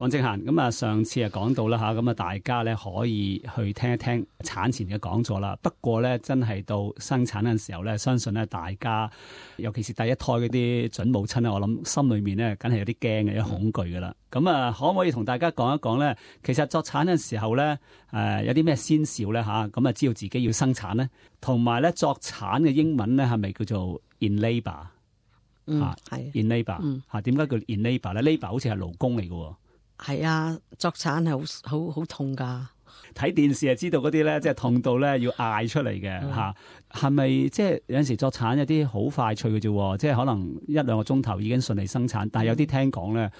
黃正嫻，咁啊，上次講到啦吓，咁啊，大家咧可以去聽一聽產前嘅講座啦。不過咧，真係到生產嗰陣時候咧，相信咧大家，尤其是第一胎嗰啲準母親咧，我諗心裏面咧，梗係有啲驚嘅，有恐懼噶啦。咁啊，可唔可以同大家講一講咧？其實作產嗰陣時候咧，有啲咩先兆咧吓？咁啊，知道自己要生產咧，同埋咧作產嘅英文咧係咪叫做 in labour？係 in labour 吓，點解叫 in labour 咧？labour 好似係勞工嚟嘅。係啊，作產係好痛噶。睇電視就知道嗰啲咧，即係痛到咧要嗌出嚟嘅吓。係咪即係有陣時作產有啲好快脆嘅啫？即係可能1-2個鐘頭已經順利生產，但係有啲聽講咧，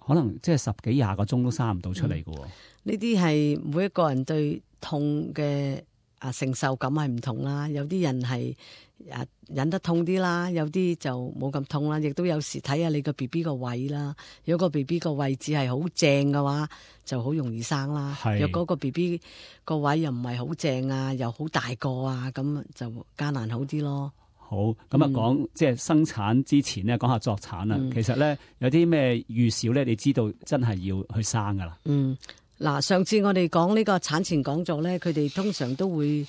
可能即係10幾20個鐘都生唔到出嚟嘅。呢啲係每一個人對痛嘅承受感係唔同啦。有啲人係忍得痛啲啦，有啲就冇咁痛啦。亦都有時睇下你個 BB 個位啦。如果個 BB 個位置係好正嘅話，就好容易生啦。若果個 BB 個位又唔係好正啊，又好大個啊，咁就艱難好啲咯。好，咁啊講即係生產之前咧，講下作產啦。其實咧有啲咩預兆咧，你知道真係要去生噶啦。嗱，上次我哋講呢個產前講座咧，佢哋通常都會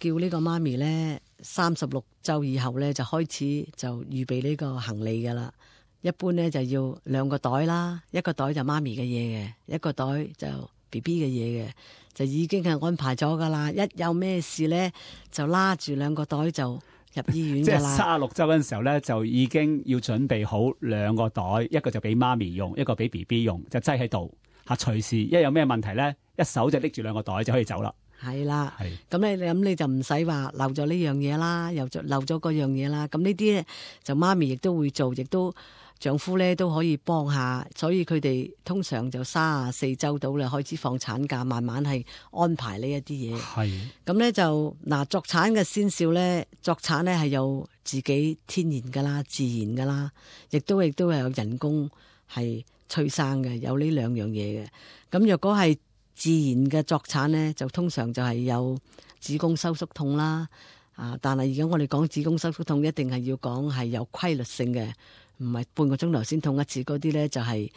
叫呢個媽咪咧36週以後咧就開始就預備呢個行李噶啦。一般咧就要2個袋啦，一個袋就媽咪嘅嘢嘅，一個袋就 BB 嘅嘢嘅，就已經係安排咗噶啦。一有咩事咧，就拉住2個袋就入醫院噶啦。即係36週嗰陣時候咧，就已經要準備好2個袋，一個就俾媽咪用，一個俾 BB 用，就擠喺度。隨時一有咩問題咧，一手就拎住2個袋就可以走啦。係啦，咁你就唔使話漏咗呢樣嘢啦，又漏咗嗰樣嘢啦。咁呢啲咧就媽咪亦都會做，亦都丈夫咧都可以幫下。所以佢哋通常就34週到啦，開始放產假，慢慢係安排呢一啲嘢。係咁咧就作產嘅先兆咧，作產咧係有自己天然噶啦，自然噶啦，亦都係有人工係催生嘅，有呢2樣嘢嘅。咁若果係自然嘅作產咧，就通常就係有子宮收縮痛啦。但係而家我哋講子宮收縮痛，一定係要講係有規律性嘅，唔係半個鐘頭先痛一次。嗰啲咧就係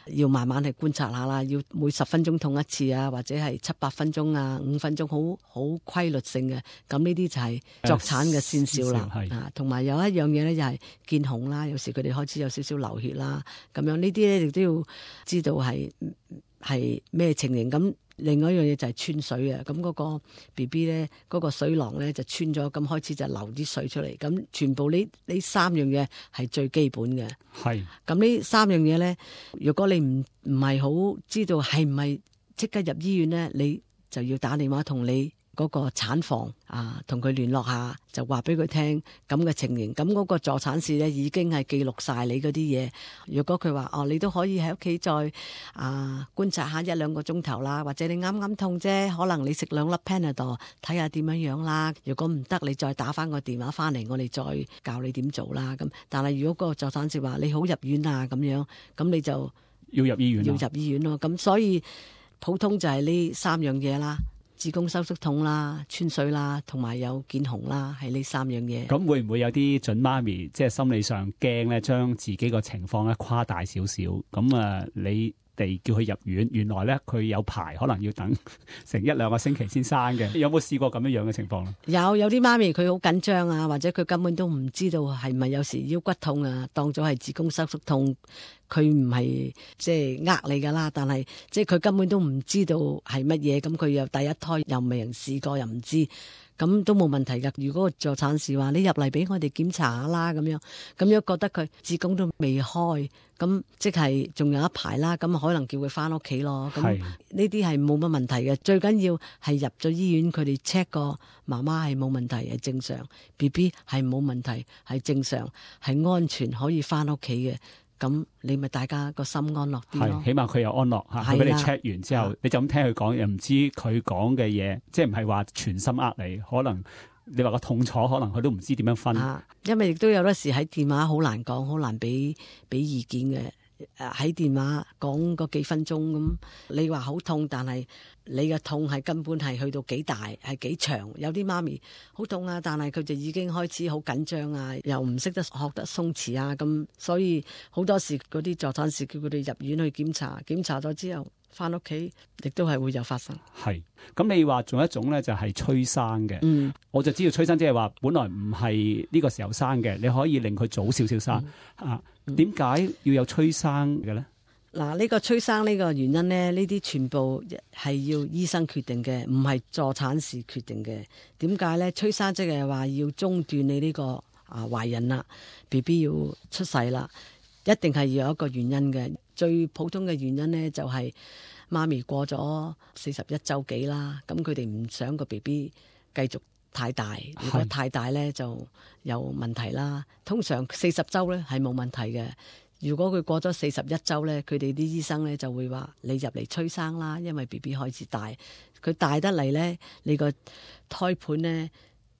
要慢慢去觀察下啦，要每10分鐘痛一次啊，或者係7-8分鐘啊，5分鐘，好規律性嘅。咁呢啲就係作產嘅先兆啦。同埋有一樣嘢咧，就係見紅啦，有時佢哋開始有少少流血啦，咁樣呢啲咧亦都要知道係咩情形。咁另外一樣嘢就係穿水啊，咁嗰個 BB 咧，嗰個水囊咧就穿咗，咁開始就流啲水出嚟。咁全部呢3樣嘢係最基本嘅。係咁呢3樣嘢咧，如果你唔係好知道係唔係即刻入醫院咧，你就要打電話同你嗰個產房同佢聯絡下，就話俾佢聽咁嘅情形。咁嗰個助產士咧已經係記錄晒你嗰啲嘢。如果佢話你都可以喺屋企再觀察下1-2個鐘頭啦，或者你啱啱痛啫，可能你食2粒 Panadol 睇下點樣啦。如果唔得，你再打翻個電話翻嚟，我哋再教你點做啦。咁但係如果個助產士話你好入院啊咁樣，咁你就要入醫院咯。咁所以普通就係呢3樣嘢啦。子宮收縮痛啦、穿水啦，同埋有見紅啦，係呢3樣嘢。咁會唔會有啲準媽咪即係心理上驚咧，將自己個情況咧誇大少少？咁你哋叫佢入院，原來咧佢有排可能要等成1-2個星期先生嘅。有冇試過咁樣嘅情況咧？有啲媽咪佢好緊張啊，或者佢根本都唔知道係咪有時腰骨痛啊，當咗係子宮收縮痛。佢唔係即係你噶啦，但係即係佢根本都唔知道係乜嘢，咁佢又第一胎又未人試過，又唔知，咁都冇問題噶。如果個助產士話你入嚟俾我哋檢查下啦，咁樣覺得佢子宮都未開，咁即係仲有一排啦，咁可能叫佢翻屋企咯。咁呢啲係冇乜問題嘅，最緊要係入咗醫院，佢哋 check 過媽媽係冇問題，係正常 ，BB 係冇問題，係正常，係安全可以翻屋企嘅。咁你咪大家個心安樂啲咯，起碼佢有安樂嚇。佢俾你 check 完之後，你就咁聽佢講，又唔知佢講嘅嘢，即係唔係話全心你，可能你話個痛楚，可能佢都唔知點樣分。因為亦都有得時喺電話好難講，好難俾意見嘅。喺電話講嗰幾分鐘咁，你話好痛，但係你嘅痛係根本係去到幾大，係幾長。有啲媽咪好痛啊，但係佢就已經開始好緊張啊，又唔識得學得鬆弛啊，咁所以好多時嗰啲助產士叫佢哋入院去檢查，檢查咗之後翻屋企亦都係會有發生。係，咁你話仲有一種咧就係催生嘅，我就知道催生即係話本來唔係呢個時候生嘅，你可以令佢早少少生啊。點解要有催生嘅咧？嗱，呢個催生呢個原因咧，呢啲全部係要醫生決定嘅，唔係助產士決定嘅。點解咧？催生即係話要中斷你呢個懷孕啦 ，BB 要出世啦，一定係要有一個原因嘅。最普通嘅原因咧就係媽咪過咗41週幾啦，咁佢哋唔想個 BB 繼續太大，如果太大咧就有問題啦。通常40週咧係冇問題嘅，如果佢過咗41週咧，佢哋啲醫生咧就會話你入嚟催生啦，因為 BB 開始大，佢大得嚟咧，你個胎盤咧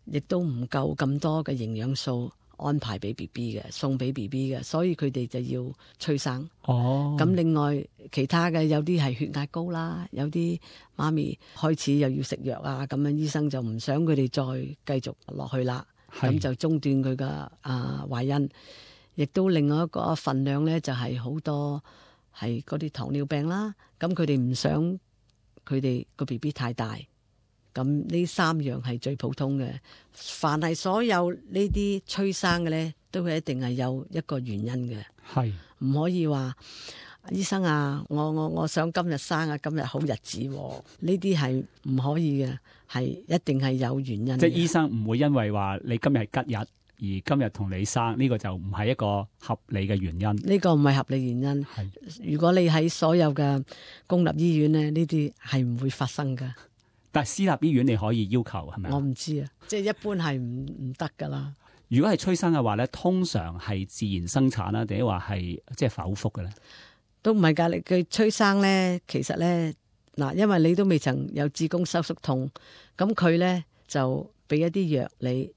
亦都唔夠咁多嘅營養素安排俾 BB 嘅，送俾 BB 嘅，所以佢哋就要催生。咁另外其他嘅有啲係血壓高啦，有啲媽咪開始又要食藥啊，咁樣醫生就唔想佢哋再繼續落去啦，咁就中斷佢嘅懷孕。亦都另外一個份量咧，就係好多係嗰啲糖尿病啦，咁佢哋唔想佢哋個 BB 太大。咁呢3樣係最普通嘅，凡係所有呢啲催生嘅咧，都係一定係有一個原因嘅，係唔可以話醫生啊，我想今日生啊，今日好日子，呢啲係唔可以嘅，係一定係有原因嘅。即係醫生唔會因為話你今日係吉日，而今日同你生呢個就唔係一個合理嘅原因。呢個唔係合理原因。如果你喺所有嘅公立醫院咧，呢啲係唔會發生㗎。但係私立醫院你可以要求係咪？我唔知啊，即係一般係唔得噶啦。如果係催生嘅話咧，通常係自然生產啦，定係話係即係剖腹嘅咧？都唔係噶，佢催生咧，其實咧嗱，因為你都未曾有子宮收縮痛，咁佢咧就俾一啲藥你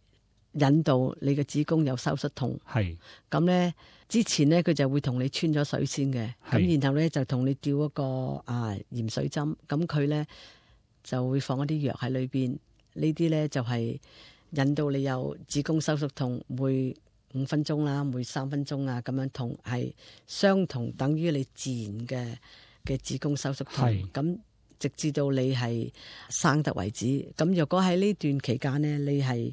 引導你嘅子宮有收縮痛。係咁咧，之前咧佢就會同你穿咗水先嘅，咁然後咧就同你吊一個鹽水針，咁佢咧就會放一啲藥喺裏邊，呢啲咧就係引導你有子宮收縮痛，每5分鐘啦，每3分鐘啊咁樣痛，係相同等於你自然嘅子宮收縮痛。咁直至到你係生得為止。咁若果喺呢段期間呢，你係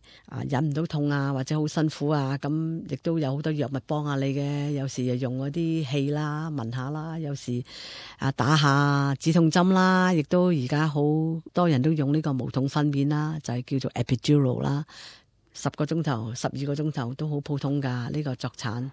忍唔到痛啊，或者好辛苦啊，咁亦都有好多藥物幫下你嘅。有時就用嗰啲氣啦，聞下啦，有時打下止痛針啦，亦都而家好多人都用呢個無痛分娩啦，就係叫做 epidural 啦，10個鐘頭、12個鐘頭都好普通噶，呢個作產。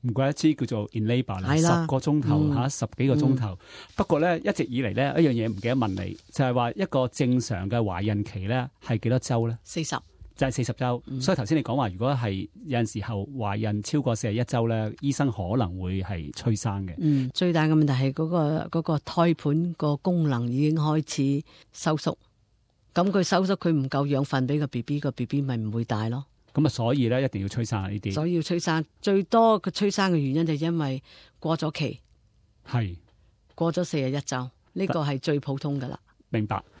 唔怪得知叫做 in labour 啦，10個鐘頭10幾個鐘頭。不過咧，一直以嚟咧，一樣嘢唔記得問你，就係話一個正常嘅懷孕期咧係幾多週咧？40，就係40週。所以頭先你講話，如果係有陣時候懷孕超過41週咧，醫生可能會係催生嘅。最大嘅問題係嗰個胎盤個功能已經開始收縮，咁佢收縮佢唔夠養分俾個 BB， 個 BB 咪唔會大咯。咁所以咧一定要催生呢啲。所以要催生，最多嘅催生嘅原因就係因為過咗期，過咗41週，呢個係最普通噶啦。明白。